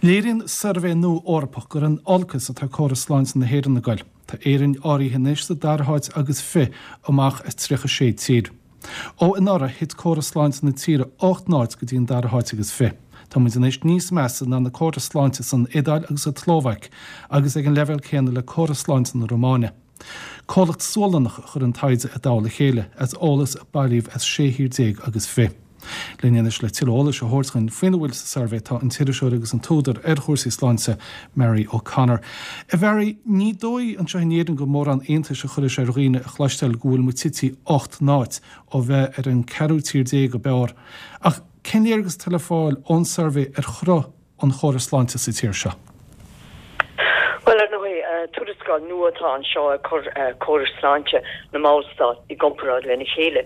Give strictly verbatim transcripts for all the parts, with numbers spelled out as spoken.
Léiríonn suirbhé nua Eorpach gur in olcas atá córas sláinte na hÉireann ag goil. Tá Éirinn áirithe anois sa dara háit agus fiche amach as tríocha sé tír. Ó anuraidh thit córas sláinte na tíre ocht n-áit go dtí an dara háit agus fiche. Tá muid anois níos measa ná na córais sláinte san Iodáil agus sa tSlóvaic agus ag an leibhéal céanna le córas sláinte na Rómáine. Comhlacht Sualannach a chuir an taighde i dtoll a chéile as eolas a bailíodh as sé thír déag agus fiche. Linn anois le tuilleadh eolais a thabhairt dúinn faoina bhfuil sa suirbhé tá an t-iriseoir agus an t-údar ar chúrsaí sláinte Mary O'Connor. A Mhary, ní dóigh anseo in Éirinn go mórán iontais a chuirfeadh sé ar dhaoine a chloisteáil go bhfuil muid tite ocht n-áit ó bheith ar an ceathrú tír déag ab fhearr. Ach cén léargas atá le fáil ón suirbhé ar chruth an chórais sláinte sa tír seo? Bhuel, ar ndóigh, tuarascáil nua atá anseo ag cur córais sláinte na mballstát i gcomparáid lena chéile,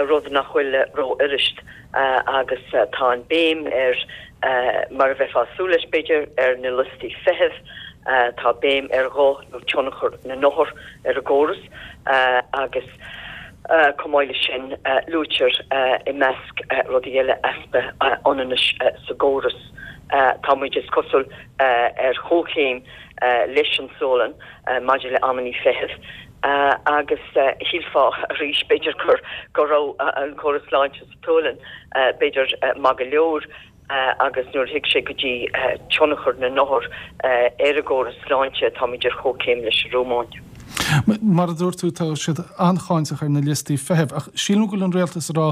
rud nach bhfuil rófhuirist, agus tá an béim ar, mar a bheifeá ag súil leis, b'fhéidir, ar na liostaí feithimh, tá béim ar ghuth nó tionchar na n-othar ar an gcóras agus chomh maith leis sin luaitear i measc rudaí eile easpa ionannais sa gcóras. Tá muid, is cosúil, ar chomhchéim leis an Sualainn maidir le amannaí feithimh agus shílfeá arís, b'fhéidir, gur go raibh an córas sláinte sa tSualainn, b'fhéidir, maith go leor agus nuair a thig sé go dtí tionchar na n-othar ar an gcóras sláinte, táimid ar chomhchéim leis an Rómáin. Mar a dúirt tú, tá siad an-cháinteach ar na liostaí feithimh, ach sílim go bhfuil an rialtas ag rá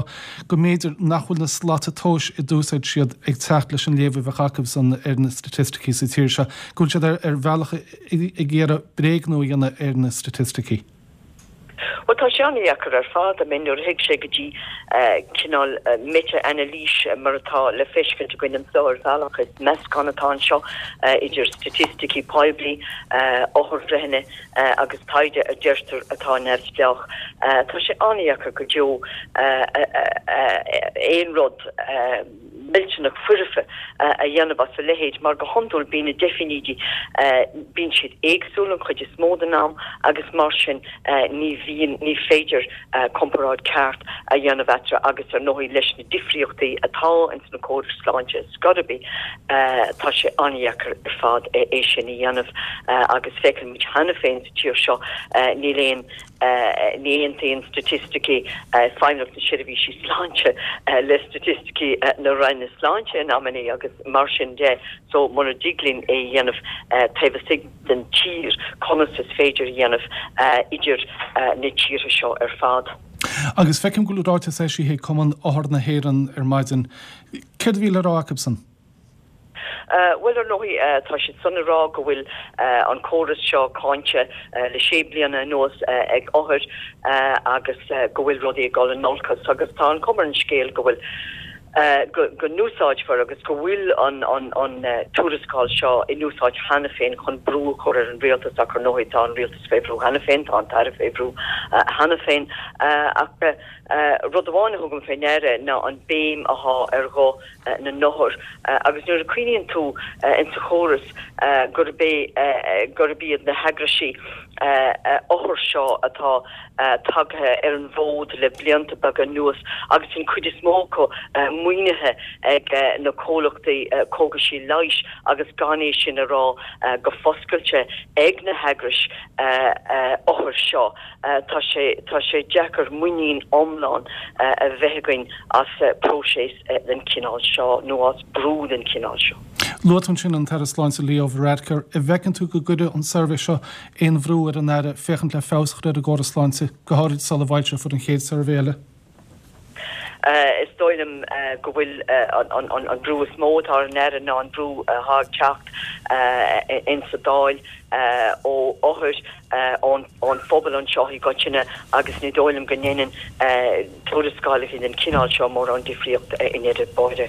go mb'fhéidir nach bhfuil na slata tomhais a d'úsáid siad ag teacht leis an léamh a bheadh acusan ar na staitisticí sa tír seo, go bhfuil siad ar bhealach ag iarraidh bréagnú a dhéanamh ar na staitisticí. Bhuel, tá sé an-dheacair ar fad. I mean, nuair a thig sé go dtí cineál meitea-anailís mar atá le feiscint againn anseo ar bhealach, is meascán atá anseo idir staitisticí poiblí, otharbhreitheanna agus taighde a deirtear atá neamhspleách. Tá sé an-dheacair go deo aon rud millteanach foirfe a dhéanamh as a leithéid mar go hiondúil bíonn na deifínídí, bíonn siad éagsúil an chuid is mó den am agus mar sin ní bhíonn, ní féidir comparáid ceart a dhéanamh eatarthu agus ar ndóigh leis na difríochtaí atá ins na córais sláinte scor ar bith tá sé an-dheacair ar fad é sin a dhéanamh agus feiceann muid cheana féin sa tír seo níl aon ní aontaíonn staitisticí Feidhmeannacht na Seirbhísí Sláinte le staitisticí na Roinne Sláinte in amannaí agus mar sin de so mura dtig linn é a dhéanamh taobh istigh den tír conas is féidir a dhéanamh idir na tíortha seo ar fad. Agus feicim go bhfuil ráiteas eisithe ag Cumann Othar na hÉireann ar maidin. Céard a bhí le rá acusan? Bhuel, ar ndóigh, tá siad san ag rá go bhfuil an córas seo cáinte le sé bliana anuas ag othair agus go bhfuil rudaí ag dul in olcas agus tá an chuma ar an scéal go bhfuil go n-úsáidfear agus go bhfuil an an tuarascáil seo in úsáid cheana féin chun brú a chur ar an rialtas ach ar ndóigh tá an rialtas fé bhrú cheana féin, tá an tAire fé bhrú cheana féin ach rud amháin a thugaim fé ndeara ná an béim athá ar ghuth na n-othar agus nuair a cuimhníonn tú insa chóras gurb é gurb iad na heagraisí othar seo atá tagtha ar an bhfód le blianta beaga anuas agus an chuid is mó acu maoinithe ag na comhlachtaí cógaisí leighis agus gan é sin a rá go foscailte ag na heagrais othar seo tá sé tá sé deacair muinín iomlán a bheith againn as próiseas den chineál seo nó as brú den chineál seo. Luaigh tú ansin an tAire Sláinte Leo Varadkar. An bhfeiceann tú go gcuirfidh an suirbhé seo aon bhrú ar an Aire féachaint le feabhas a chur ar an gcóras sláinte, go háirid sula bhfoilseofar an chéad suirbhé eile? Is dóigh liom go bhfuil an brú is mó atá ar an Aire ná an brú atá ag teacht insa Dáil ó othair, ón phobal anseo i gcoitinne agus ní dóigh liom go ndéanann tuarascálacha den chineál seo mórán difríocht i ndeireadh báire.